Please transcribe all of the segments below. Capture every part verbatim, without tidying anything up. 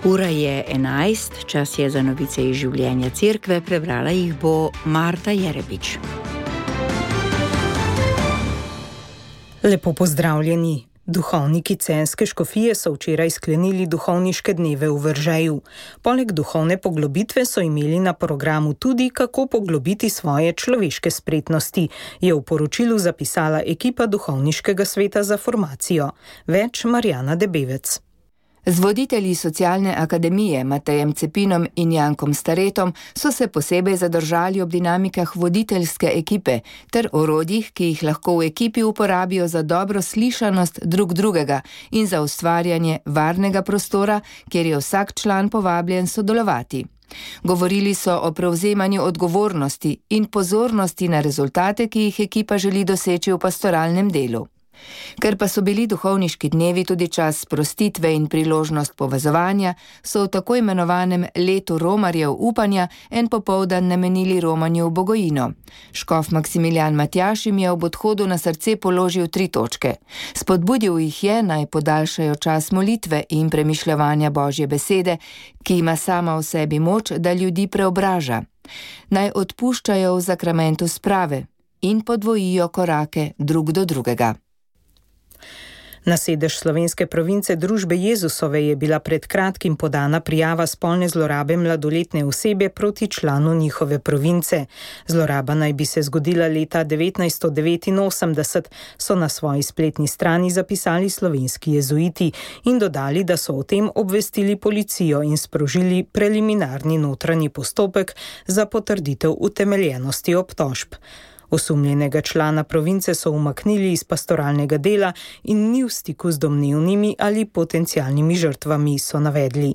Ura je enajst, čas je za novice iz življenja cerkve, prebrala jih bo Marta Jerebič. Lepo pozdravljeni. Duhovniki Celjske škofije so včeraj sklenili duhovniške dneve v Veržeju. Poleg duhovne poglobitve so imeli na programu tudi, kako poglobiti svoje človeške spretnosti, je v poročilu zapisala ekipa duhovniškega sveta za formacijo. Več Marjana Debevec. Z voditelji socialne akademije Matejem Cepinom in Jankom Staretom so se posebej zadržali ob dinamikah voditeljske ekipe ter orodjih, ki jih lahko v ekipi uporabijo za dobro slišanost drug drugega in za ustvarjanje varnega prostora, kjer je vsak član povabljen sodelovati. Govorili so o prevzemanju odgovornosti in pozornosti na rezultate, ki jih ekipa želi doseči v pastoralnem delu. Ker pa so bili duhovniški dnevi tudi čas sprostitve in priložnost povezovanja, so v tako imenovanem letu romarjev upanja en popoldan namenili romanju v Bogojino. Škof Maksimilijan Matjaž jim je ob odhodu na srce položil tri točke. Spodbudil jih je, naj podaljšajo čas molitve in premišljevanja Božje besede, ki ima sama v sebi moč, da ljudi preobraža. Naj odpuščajo v zakramentu sprave in podvojijo korake drug do drugega. Na sedež slovenske province Družbe Jezusove je bila pred kratkim podana prijava spolne zlorabe mladoletne osebe proti članu njihove province. Zloraba naj bi se zgodila leta devetnajststo devetinosemdeset, so na svoji spletni strani zapisali slovenski jezuiti in dodali, da so o tem obvestili policijo in sprožili preliminarni notranji postopek za potrditev utemeljenosti obtožb. Osumljenega člana province so umaknili iz pastoralnega dela in ni v stiku z domnevnimi ali potencialnimi žrtvami, so navedli.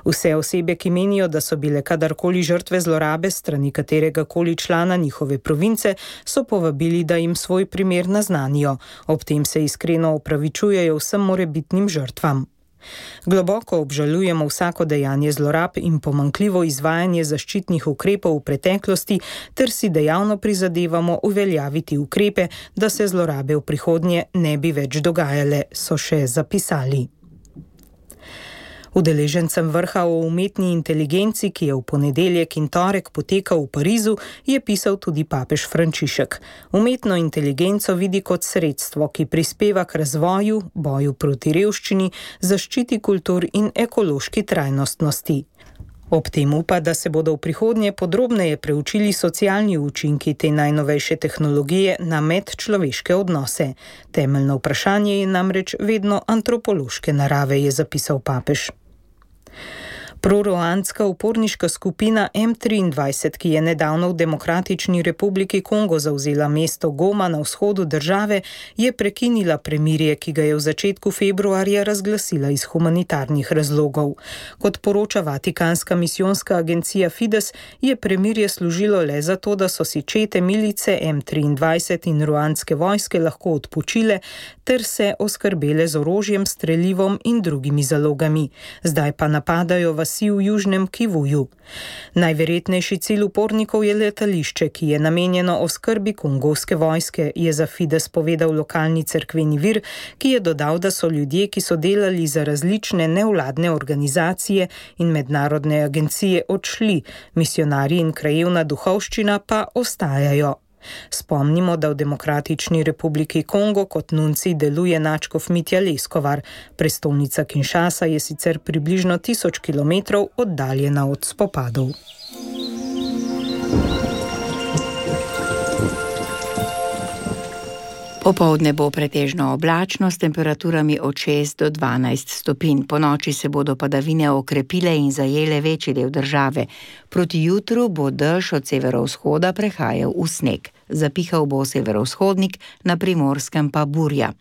Vse osebe, ki menijo, da so bile kadarkoli žrtve zlorabe strani katerega koli člana njihove province, so povabili, da jim svoj primer naznanijo. Ob tem se iskreno opravičujejo vsem morebitnim žrtvam. Globoko obžalujemo vsako dejanje zlorab in pomanjkljivo izvajanje zaščitnih ukrepov v preteklosti ter si dejavno prizadevamo uveljaviti ukrepe, da se zlorabe v prihodnje ne bi več dogajale, so še zapisali. Udeležencem vrha o umetni inteligenci, ki je v ponedeljek in torek potekal v Parizu, je pisal tudi papež Frančišek. Umetno inteligenco vidi kot sredstvo, ki prispeva k razvoju, boju proti revščini, zaščiti kultur in ekološki trajnostnosti. Ob tem upa, da se bodo v prihodnje podrobneje preučili socialni učinki te najnovejše tehnologije na medčloveške odnose. Temeljno vprašanje je namreč vedno antropološke narave, je zapisal papež. Proruandska uporniška skupina M triindvajset, ki je nedavno v Demokratični republiki Kongo zavzela mesto Goma na vzhodu države, je prekinila premirje, ki ga je v začetku februarja razglasila iz humanitarnih razlogov. Kot poroča vatikanska misijonska agencija Fides, je premirje služilo le zato, da so si čete milice M triindvajset in ruandske vojske lahko odpočile ter se oskrbele z orožjem, strelivom in drugimi zalogami. Zdaj pa napadajo vas v Južnem Kivuju. Najverjetnejši cilj upornikov je letališče, ki je namenjeno oskrbi kongovske vojske, je za Fides povedal lokalni cerkveni vir, ki je dodal, da so ljudje, ki so delali za različne nevladne organizacije in mednarodne agencije, odšli, misionarji in krajevna duhovščina pa ostajajo. Spomnimo, da v Demokratični republiki Kongo kot nunci deluje nadškof Mitja Leskovar. Prestolnica Kinshasa je sicer približno tisoč kilometrov oddaljena od spopadov. Popoldne bo pretežno oblačno s temperaturami od šest do dvanajst stopinj. Ponoči se bodo padavine okrepile in zajele večji del države. Proti jutru bo dež od severovzhoda prehajal v sneg. Zapihal bo severovzhodnik, na Primorskem pa burja.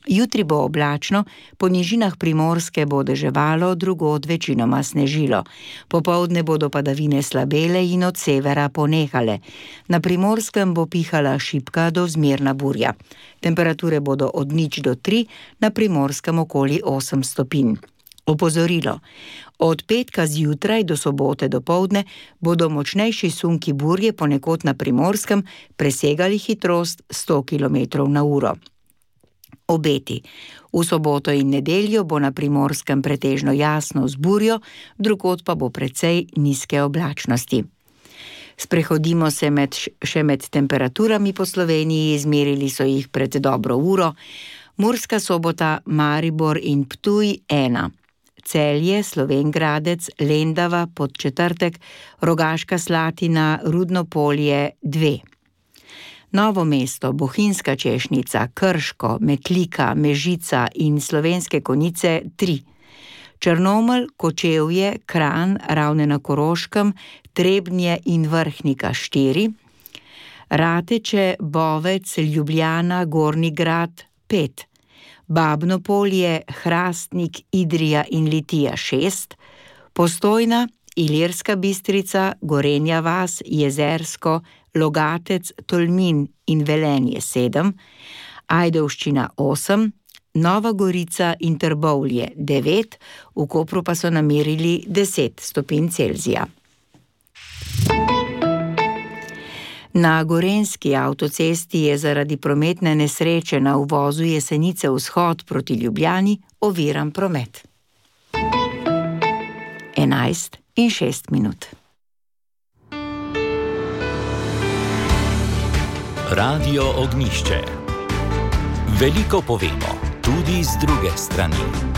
Jutri bo oblačno, po nižinah Primorske bo deževalo, drugod večinoma snežilo. Popoldne bodo padavine slabele in od severa ponehale. Na Primorskem bo pihala šibka do zmerna burja. Temperature bodo od nič do tri, na Primorskem okoli osem stopinj. Opozorilo. Od petka zjutraj do sobote dopoldne bodo močnejši sunki burje ponekod na Primorskem presegali hitrost sto kilometrov na uro. Obeti. V soboto in nedeljo bo na Primorskem pretežno jasno z burjo, drugod pa bo precej nizke oblačnosti. Sprehodimo se med, še med temperaturami po Sloveniji, izmerili so jih pred dobro uro. Murska Sobota, Maribor in Ptuj ena. Celje, Slovenj Gradec, Lendava, Podčetrtek, Rogaška Slatina, Rudno Polje dve. Novo mesto, Bohinjska Češnica, Krško, Metlika, Mežica in Slovenske Konjice tri. Črnomelj, Kočevje, Kranj, Ravne na Koroškem, Trebnje in Vrhnika štiri. Rateče, Bovec, Ljubljana, Gornji Grad pet. Babno Polje, Hrastnik, Idrija in Litija šest. Postojna, Ilirska Bistrica, Gorenja vas, Jezersko, Logatec, Tolmin in Velenje sedem. Ajdovščina osem. Nova Gorica in Trbovlje devet, v Kopru pa so namerili deset stopinj Celzija. Na gorenjski avtocesti je zaradi prometne nesreče na uvozu Jesenice vzhod proti Ljubljani oviran promet. enajst in šest minut. Radio Ognjišče. Veliko povemo, tudi z druge strani.